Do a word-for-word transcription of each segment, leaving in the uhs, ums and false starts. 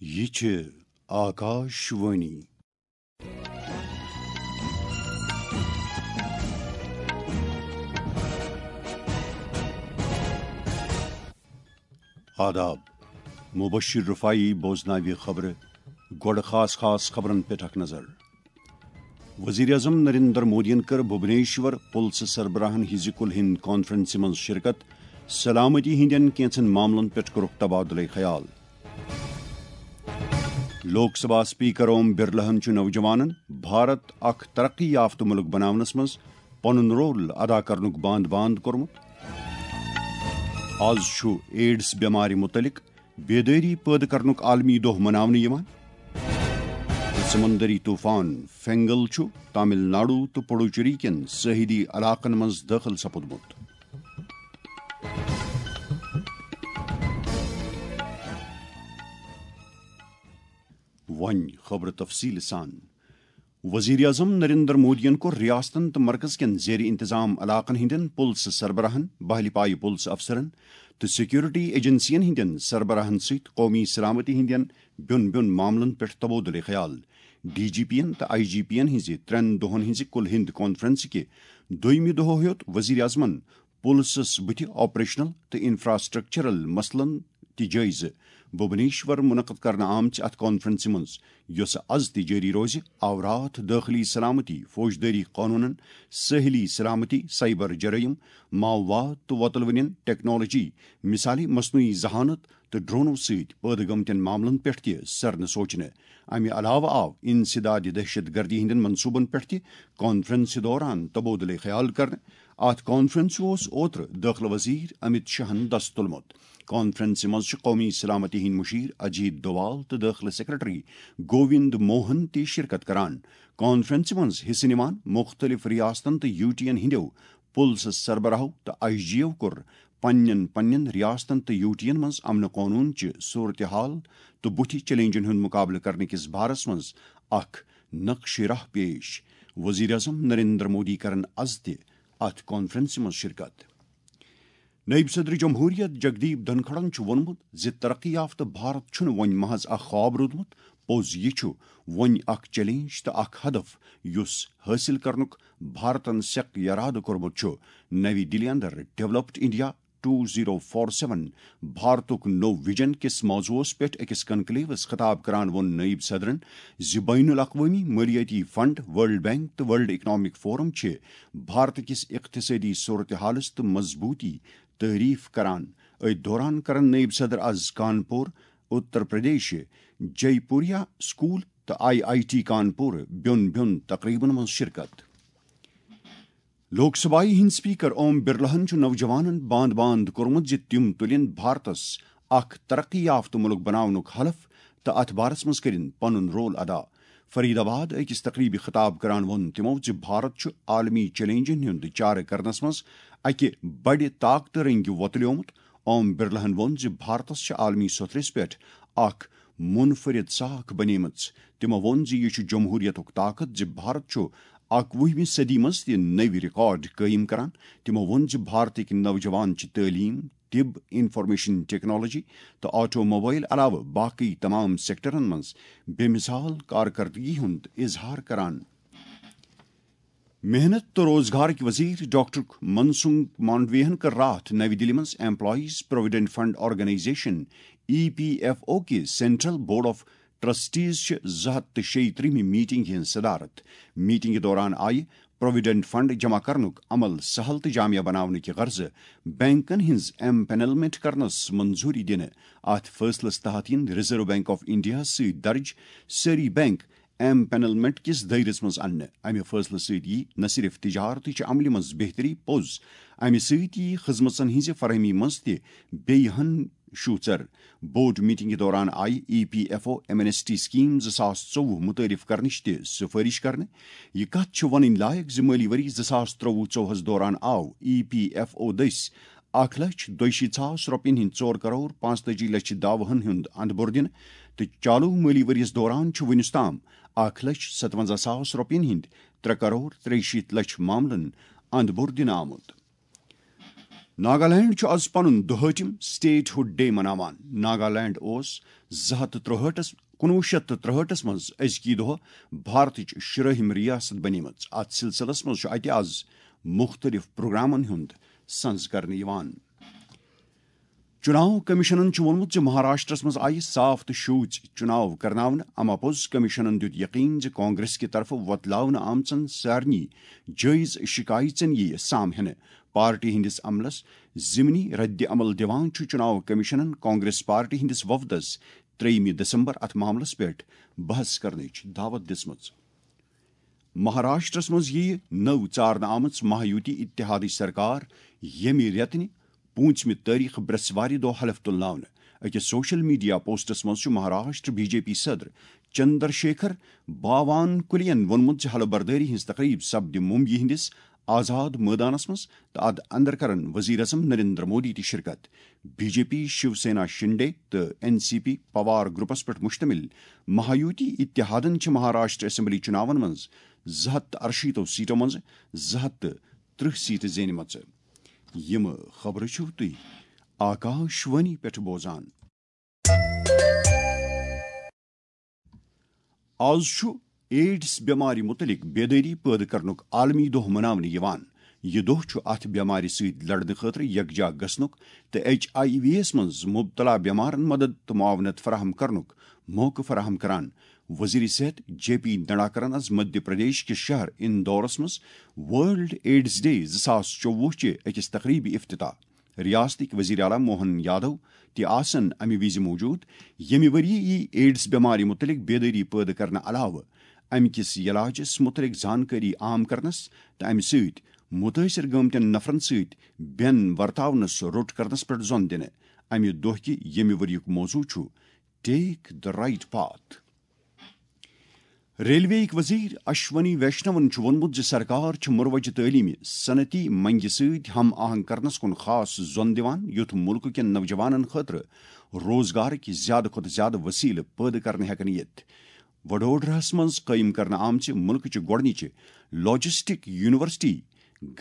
یہِ چھِ آکاش وانی۔ آداب۔ مبشر رفاعی بوزناوِ خبرٕ۔ گۄڈٕ خاص خاص خبرن پٮ۪ٹھ اکھ نظر۔ وزیر اعظم نریندر مودیَن کٔر بھوبنیشور پُلسہٕ سربراہن ہٕنٛزِ کُل ہند کانفرنسہِ منٛز شرکت۔ سلامتی ہٕنٛدٮ۪ن کینٛژن معاملن پٮ۪ٹھ کوٚرُکھ تبادلہٕ خیال۔ لوک سبھا اسپیکر اوم برلاہن چھُ نوجوانن بھارت اکھ ترقی یافتہٕ مُلک بناونس منٛز پنُن رول ادا کرنُک باند باند کوٚرمُت۔ آز چھُ ایڈز بٮ۪مارِ مُتعلق بیدٲری پٲدٕ کرنُک عالمی دۄہ مناونہٕ یِوان۔ سمندری طوفان فینگل چھُ تامل ناڈو تہٕ پڈوچیری کٮ۪ن ساحلی علاقن منٛز دٲخل سپُدمُت۔ وۄنۍ خبرٕ تفصیٖل سان۔ وزیر اعظم نریندر مودیَن کوٚر ریاستن تہٕ مرکز کٮ۪ن زیر انتظام علاقن ہٕنٛدٮ۪ن پُلسہٕ سربراہن، بحلی پایہِ پُلسہٕ افسرن تہٕ سیکورٹی ایجنسین ہٕنٛدٮ۪ن سربراہن سۭتۍ قومی سلامتی ہٕنٛدٮ۪ن بیوٚن بیوٚن معاملن پٮ۪ٹھ تبادلہٕ خیال۔ ڈی جی پی ین تہٕ آئی جی پی ین ہٕنٛزِ ترٛٮ۪ن دۄہن ہٕنٛزِ کُل ہند کانفرنسہِ کہِ دوٚیمہِ دۄہ ہیوٚت وزیر اعظمن پُلسس بُتھِ آپریشنل تہٕ انفراسٹرکچرل مسلن تہِ جٲیزٕ۔ بھوبنیشور منعقد کرنہٕ آمژِ اتھ کانفرنسہِ منٛز، یۄسہٕ از تہِ جٲری روزِ، آو راتھ دٲخلی سلامتی، فوجدٲری قونوٗنن، سٲحلی سلامتی، سائبر جرائم، ماؤواد تہٕ وۄتلوٕنٮ۪ن ٹیکنالوجی، مثالے مصنوعی ذہانت تہٕ ڈرونو سۭتۍ پٲدٕ گٔمتٮ۪ن معاملن پٮ۪ٹھ تہِ سرنہٕ سوچنہٕ۔ امہِ علاوٕ آو انسداد دہشت گردی ہٕنٛدٮ۪ن منصوبن پٮ۪ٹھ تہِ کانفرنسہِ دوران تبادلہٕ خیال کرنہٕ۔ اتھ کانفرنسہِ اوس اوترٕ دٲخلہٕ وزیر امت شاہن دس تُلمُت۔ کانفرنسہِ منٛز چھُ قومی سلامتی ہٕنٛدۍ مشیر اجیت دوال تہٕ دٲخلہٕ سیکرٹری گووند موہن تہِ شرکت کران۔ کانفرنسہِ منٛز حصہٕ نِوان مُختٔلِف ریاستن تہٕ یوٗ ٹی ین ہٕنٛدیو پُلسہٕ سربراہو تہٕ آئی جیو کوٚر پننٮ۪ن پننٮ۪ن ریاستن تہٕ یوٗ ٹی ین منٛز امن قونوٗن چہِ صورتحال تہٕ بُتھِ چیلنجن ہُنٛد مُقابلہٕ کرنہٕ کِس بارس منٛز اکھ نقشہِ راہ پیش۔ وزیر اعظم نریندر مودی کرن از تہِ اتھ کانفرنسہِ منٛز شرکت۔ نائب صدر جمہوریہ جگدیپ دھنکھڑن چھُ ووٚنمُت زِ ترقی یافتہٕ بھارت چھُنہٕ وۄنۍ محض اکھ خواب روٗدمُت، پوٚز یہِ چھُ وۄنۍ اکھ چیلنج تہٕ اکھ ہدف یُس حٲصِل کرنُک بھارتن سیٚکھ یرادٕ کوٚرمُت چھُ۔ نَوِ دِلہِ اندر developed India two zero four seven بھارتُک نوٚو ویژن کِس موضوعس پٮ۪ٹھ أکِس کنکلیوس خطاب کران ووٚن نائب صدرن زِ بین الاقوٲمی مٲلیٲتی فنڈ، ورلڈ بینک تہٕ ورلڈ اکنامک فورم چھِ بھارت کِس اقتصٲدی صورتحالس تہٕ مضبوٗطی تعریف کران۔ أتھۍ دوران کرن نائب صدر از کانپور، اتر پردیش، جے پوریا سکول تہٕ آئی آئی ٹی کانپور بیوٚن بیوٚن تقریبن منٛز شرکت۔ لوک سبھایہ ہٕنٛدۍ اسپیکر اوم برلاہن چھُ نوجوانن باند باند کوٚرمُت زِ تِم تُلِن بھارتس اکھ ترقی یافتہٕ مُلک بناونُک حلف تہٕ اتھ بارس منٛز کٔرِن پنُن رول ادا۔ فرید آباد أکِس تقریبہِ خطاب کران ووٚن تِمو زِ بھارت چھُ عالمی چیلنجن ہُنٛد چارٕ کرنس منٛز اکہِ بڑِ طاقتہٕ رٔنگۍ وۄتلیومُت۔ اوم برلاہن ووٚن زِ بھارتس چھِ عالمی سطحس پٮ۪ٹھ اکھ منفرد ساکھ بنیمٕژ۔ تِمو ووٚن زِ یہِ چھُ جمہوریتُک طاقت زِ بھارت چھُ اکوُہمہِ صدی منٛز تہِ نٔوۍ ریکارڈ قٲیِم کران۔ تِمو ووٚن زِ بھارتٕکۍ نوجوان چھِ تعلیٖم، طب، انفارمیشن ٹیکنالوجی تہٕ آٹو موبائل علاوٕ باقی تمام سیکٹرن منٛز بے مثال کارکردگی ہُنٛد اظہار کران۔ محنت تہٕ روزگارٕکۍ وزیر ڈاکٹر منسکھ مانڈویہن کٔر راتھ نَوِ دِلہِ منٛز ایمپلائیز پروویڈنٹ فنڈ آرگنائزیشن، ای پی ایف او کہِ سینٹرل بورڈ آف ٹرسٹیز چہِ زٕ ہتھ تہٕ شیٚیہِ ترٛہمہِ میٹنگ ہٕنٛز صدارت۔ میٹنگہِ دوران آیہِ پروویڈنٹ فنڈ جمع کرنُک عمل سہل تہٕ جامع بناونٕکہِ غرضہٕ بینکن ہٕنٛز ایم پینلمنٹ کرنس منظوری دِنہٕ۔ اتھ فٲصلس تحت یِن ریزرو بینک آف انڈیا سۭتۍ درج سٲری بینک ایم پینلمنٹ کِس دٲیرس منٛز اننہٕ۔ امہِ فٲصلہٕ سۭتۍ یی نہ صرف تجارتٕچ عملہِ منٛز بہتری پوٚز، امہِ سۭتۍ یی خدمژن ہٕنٛزِ فراہمی منٛز تہِ بیٚیہِ ہن شوٗژر۔ بورڈ میٹنگہِ دوران آیہِ E P F O amnesty scheme زٕ ساس ژوٚوُہ متعارف کرنٕچ تہِ سفٲرش کرنہٕ۔ یہِ کتھ چھِ ونٕنۍ لایق زِ مٲلی ؤری زٕ ساس ترٛوٚوُہ ژوٚوُہس دوران آو ای پی ایف او دٔسۍ اکھ لچھ دۄیہِ شیٖتھ ساس رۄپین ہٕنٛدۍ ژور کرور پانٛژتٲجی لچھ دعوہن ہُنٛد اندٕ بوٚر دِنہٕ تہٕ چالو مٲلی ؤرۍ یَس دوران چھُ وُنیُس تام اکھ لچھ ستونزہ ساس رۄپین ہٕنٛدۍ ترٛےٚ کرور ترٛیہِ شیٖتھ لچھ معاملن اندٕ بوٚر دِنہٕ آمُت۔ ناگالینڈ چھُ از پنُن دُہٲٹھِم Statehood Day مناوان۔ ناگالینڈ اوس زٕ ہتھ تہٕ ترٛوہٲٹھس، کُنوُہ شیٚتھ تہٕ ترٛوہٲٹھس منٛز أزکی دۄہ بھارتٕچ شُرٲہِم ریاست بنیمٕژ۔ اتھ سلسلس منٛز چھُ اتہِ از مُختٔلِف پروگرامن ہُنٛد سنز کرنہٕ یِوان۔ چُناو کمیشنن چھُ ووٚنمُت زِ مہاراشٹرس منٛز آیہِ صاف تہٕ شوٗژ چُناو کرناونہٕ۔ اما پوٚز کمیشنن دیُت یقین زِ کانگریس کہِ طرفہٕ وۄتلاونہٕ آمژن سارنٕے جٲیز شِکایژن یِیہِ سام ہٮ۪نہٕ۔ پارٹی ہٕنٛدِس عملس ضمنی رد عمل دِوان چھُ چُناو کمیشنن کانگریس پارٹی ہٕنٛدِس وفدس ترٛیٚیِمہِ دسمبر اتھ معاملس پٮ۪ٹھ بحث کرنٕچ دعوت دِژمٕژ۔ مہاراشٹرس منٛز یِیہِ نٔو ژارنہٕ آمٕژ مہایوتی اتحادٕچ سرکار ییٚمہِ رٮ۪تہٕ نہِ پوٗنٛژمہِ تٲریخہٕ برٛٮ۪سوارِ دۄہ حلف تُلناونہٕ۔ أکِس سوشل میڈیا پوسٹس منٛز چھُ مہاراشٹر بی جے پی صدر چندر شیکھر باوان کُلین ووٚنمُت زِ حلف بردٲری ہٕنٛز تقریب سپدِ ممبیہِ ہٕنٛدِس آزاد مٲدانس منٛز تہٕ اتھ اندر کرن وزیر اعظم نریندر مودی تہِ شرکت۔ B J P, Shiv Sena Shinde تہٕ این سی پی پوار گروپس پٮ۪ٹھ مشتمل مہایوتی اتحادن چھِ مہاراشٹر اسمبلی چُناون منٛز زٕ ہتھ تہٕ ارشیٖتو سیٹو منٛز زٕ ہتھ تہٕ ترٕٛہ سیٹہٕ زینِمژٕ۔ یِم خبرٕ چھِو تُہۍ آکاش وانی پٮ۪ٹھ بوزان۔ آز چھُ ایڈز بٮ۪مارِ مُتعلِق بیدٲری پٲدٕ کرنُک عالمی دۄہ مناونہٕ یِوان۔ یہِ دۄہ چھُ اَتھ بٮ۪مارِ سۭتۍ لڑنہٕ خٲطرٕ یکجا گژھنُک تہٕ ایچ آئی وی یَس منٛز مبتلا بٮ۪مارن مدد تہٕ معاونت فراہم کرنُک موقعہٕ فراہم کران۔ وزیر صحت جے پی نڈاکرن آز مدھیہ پردیش کِس شہر اندورس منٛز ورلڈ ایڈز ڈے زٕ ساس ژوٚوُہ چہِ أکِس تقریبہِ افتتاح۔ ریاستٕکۍ وزیر اعلیٰ موہن یادو تہِ آسن امہِ وِزِ موجود۔ ییٚمہِ ؤرۍ یہِ یی ایڈز بٮ۪مارِ مُتعلِق بیدٲری پٲدٕ کرنہٕ علاوٕ امہِ کِس علاجس مُتعلِق زانکٲری عام کرنس تہٕ امہِ سۭتۍ مُتٲثر گٲمتٮ۪ن نفرن سۭتۍ بٮ۪ن ورتاونس روٚٹ کرنس پٮ۪ٹھ زۄن دِنہٕ۔ امہِ دۄہ کہِ ییٚمہِ ؤرۍ یُک موضوع چھُ Take the Right Path۔ Railway یِکۍ وزیر اشونی ویشنون چھُ ووٚنمُت زِ سرکار چھِ مروجہ تعلیمی صنعتی منگہِ سۭتۍ ہم آہنگ کرنس کُن خاص زۄن دِوان، یُتھ مُلکہٕ کٮ۪ن نوجوانن خٲطرٕ روزگارٕکۍ زیادٕ کھۄتہٕ زیادٕ وسیلہٕ پٲدٕ کرنہٕ ہٮ۪کن یِتھ۔ وڈودراہس منٛز قٲیِم کرنہٕ آمژِ مُلکٕچہِ گۄڈٕنِچہِ لاجسٹک یونیورسٹی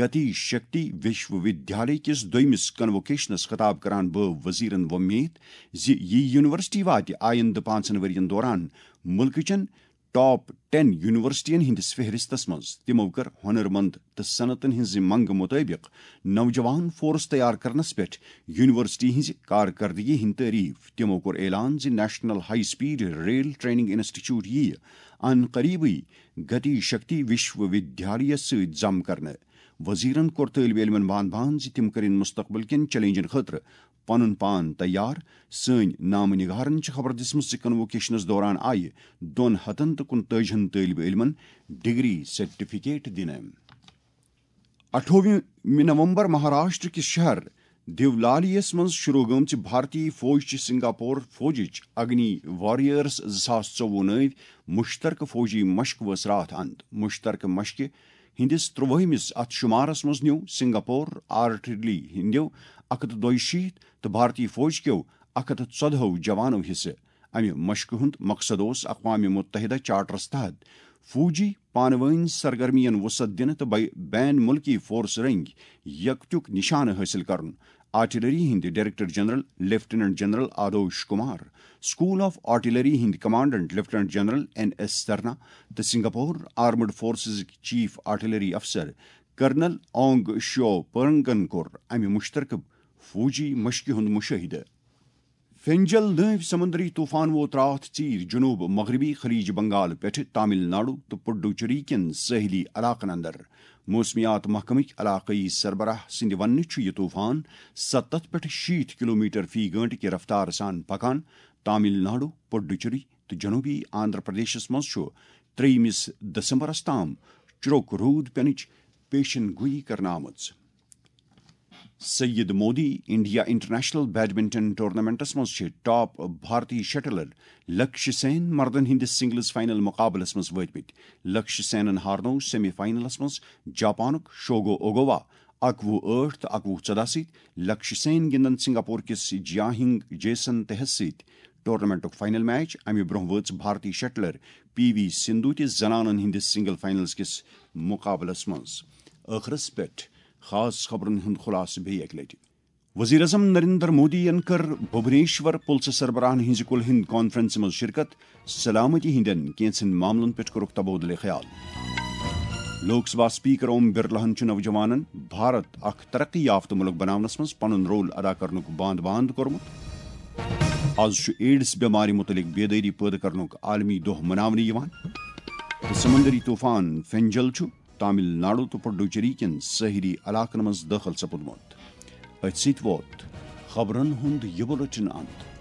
گتی شکتی وشو ودیالیہ کِس دوٚیمِس کنووکیشنس خطاب کران بٲو وزیرن وۄمید زِ یہِ یونیورسٹی واتہِ آیندٕ پانٛژن ؤرین دوران مُلکٕچن ٹاپ ٹین یونیورسٹین ہٕنٛدِس فہرستس منٛز۔ تِمو کٔر ہۄنرمند تہٕ صنعتن ہٕنٛزِ منگہٕ مُطٲبِق نوجوان فورس تیار کرنس پٮ۪ٹھ یونیورسٹی ہٕنٛزِ کارکردگی ہٕنٛدۍ تعریف۔ تِمو کوٚر اعلان زِ national high speed rail training institute یِیہِ ان قریبٕے گتی شکتی وشو ودیالیہ سۭتۍ ضم کرنہٕ۔ وزیرن کوٚر طٲلبِ علمن بان بان زِ تِم کٔرِن مستقبل کٮ۪ن چیلنجن خٲطرٕ پنُن پان تیار۔ سٲنۍ نامہٕ نگارن چھِ خبر دِژمٕژ زِ کنووکیشنس دوران آیہِ دۄن ہتن تہٕ کُنتٲجی ہن طٲلبِ علمن ڈگری سرٹیفکیٹ دِنہٕ۔ اَٹھووُہمہِ نومبر مہاراشٹر کِس شہر دیولالیَس منٛز شروع گٔمژِ بھارتی فوج چہِ سنگاپور فوجٕچ اگنی وارئیرز زٕ ساس ژوٚوُہ نٲوۍ مشترکہٕ فوجی مشق وٲژ راتھ اند۔ مشترکہٕ مشقہِ ہٕنٛدِس ترٛوٲہمِس اتھ شمارس منٛز نیوٗ سنگاپور آرٹلری ہٕنٛدیو اکھ ہتھ تہٕ دۄیہِ شیٖتھ تہٕ بھارتی فوج کیو اکھ ہتھ تہٕ ژۄدہو جوانو حصہٕ۔ امہِ مشقہِ ہُنٛد مقصد اوس اقوام متحدہ چارٹرس تحت فوجی پانہٕ وٲنۍ سرگرمین وسعت دِنہٕ تہٕ بے-، بین ملکی فورس رنگۍ یکتیُک نشانہٕ حٲصِل کرُن۔ آرٹلری ہٕنٛدۍ director general lieutenant general Adosh Kumar, school of artillery ہٕنٛدۍ commandant lieutenant general N S Sarna تہٕ سنگاپور آرمڈ فورسزٕکۍ چیف آرٹلری افسر کرنل اونگ شیو پرنگن کوٚر امہِ مشترکہٕ فوجی مشقہِ ہُنٛد مشاہدٕ۔ فینجل نٲوۍ سمندری طوفان ووت راتھ ژیٖرۍ جنوب مغربی خلیج بنگال پٮ۪ٹھٕ تامل ناڈو تہٕ پڈوچیری کٮ۪ن سٲحلی علاقن اندر۔ موسمیات محکمٕکۍ علاقٲیی سربراہ سٕنٛدِ وننہٕ چھُ یہِ طوفان ستتھ پٮ۪ٹھ شیٖتھ کلومیٹر فی گٲنٹہٕ کہِ رفتارٕ سان پکان۔ تامل ناڈو، پڈوچیری تہٕ جنوبی آندھرا پردیشس منٛز چھُ ترٛیٚیمِس دسمبرس تام چُرک روٗد پینٕچ پیشن گویی کرنہٕ آمٕژ۔ Syed Modi India international badminton tournaments منٛز چھِ ٹاپ بھارتی شٹلر لکشیہ سین مردن ہٕنٛدِس سنگلز فائنل مقابلس منٛز وٲتمٕتۍ۔ لکشیہ سینن ہارنوو سیمی فائنلس منٛز جاپانُک شوگو اوگاوا اکوُہ ٲٹھ تہٕ اکوُہ ژۄداہ سۭتۍ۔ لکشیہ سین گِنٛدن سنگاپور کِس جیاہنگ جیسن تہس سۭتۍ ٹورنامنٹُک فائنل میچ۔ امہِ برونٛہہ وٲژ بھارتی شٹلر پی وی سندھو تہِ زنانن ہٕنٛدِس سنگل فائنلز کِس مقابلس منٛز۔ ٲخرس پٮ۪ٹھ خاص خبرن ہُنٛد خلاصہٕ بیٚیہِ اکہِ لٹہِ۔ وزیر اعظم نریندر مودی ین کٔر بھوبنیشور پُلسہٕ سربراہن ہٕنٛزِ کُلہِ ہٕنٛدِ کانفرنسہِ منٛز شرکت، سلامتی ہٕنٛدٮ۪ن کینٛژن معاملن پٮ۪ٹھ کوٚرُکھ تبادلہٕ خیال۔ لوک سبھا اسپیکر اوم برلاہن چھُ نوجوانن بھارت اکھ ترقی یافتہٕ مُلک بناونس منٛز پنُن رول ادا کرنُک باند باند کوٚرمُت۔ از چھُ ایڈز بٮ۪مارِ مُتعلق بیدٲری پٲدٕ کرنُک عالمی دۄہ مناونہٕ یِوان۔ تہٕ سمندری طوفان فینجل چھُ تامل ناڈو تہٕ پڈوچیری کٮ۪ن سٲحلی علاقن منٛز دٲخل سپُدمُت۔ أتھۍ سۭتۍ ووت خبرن ہُنٛد یہِ بُلٹن اند۔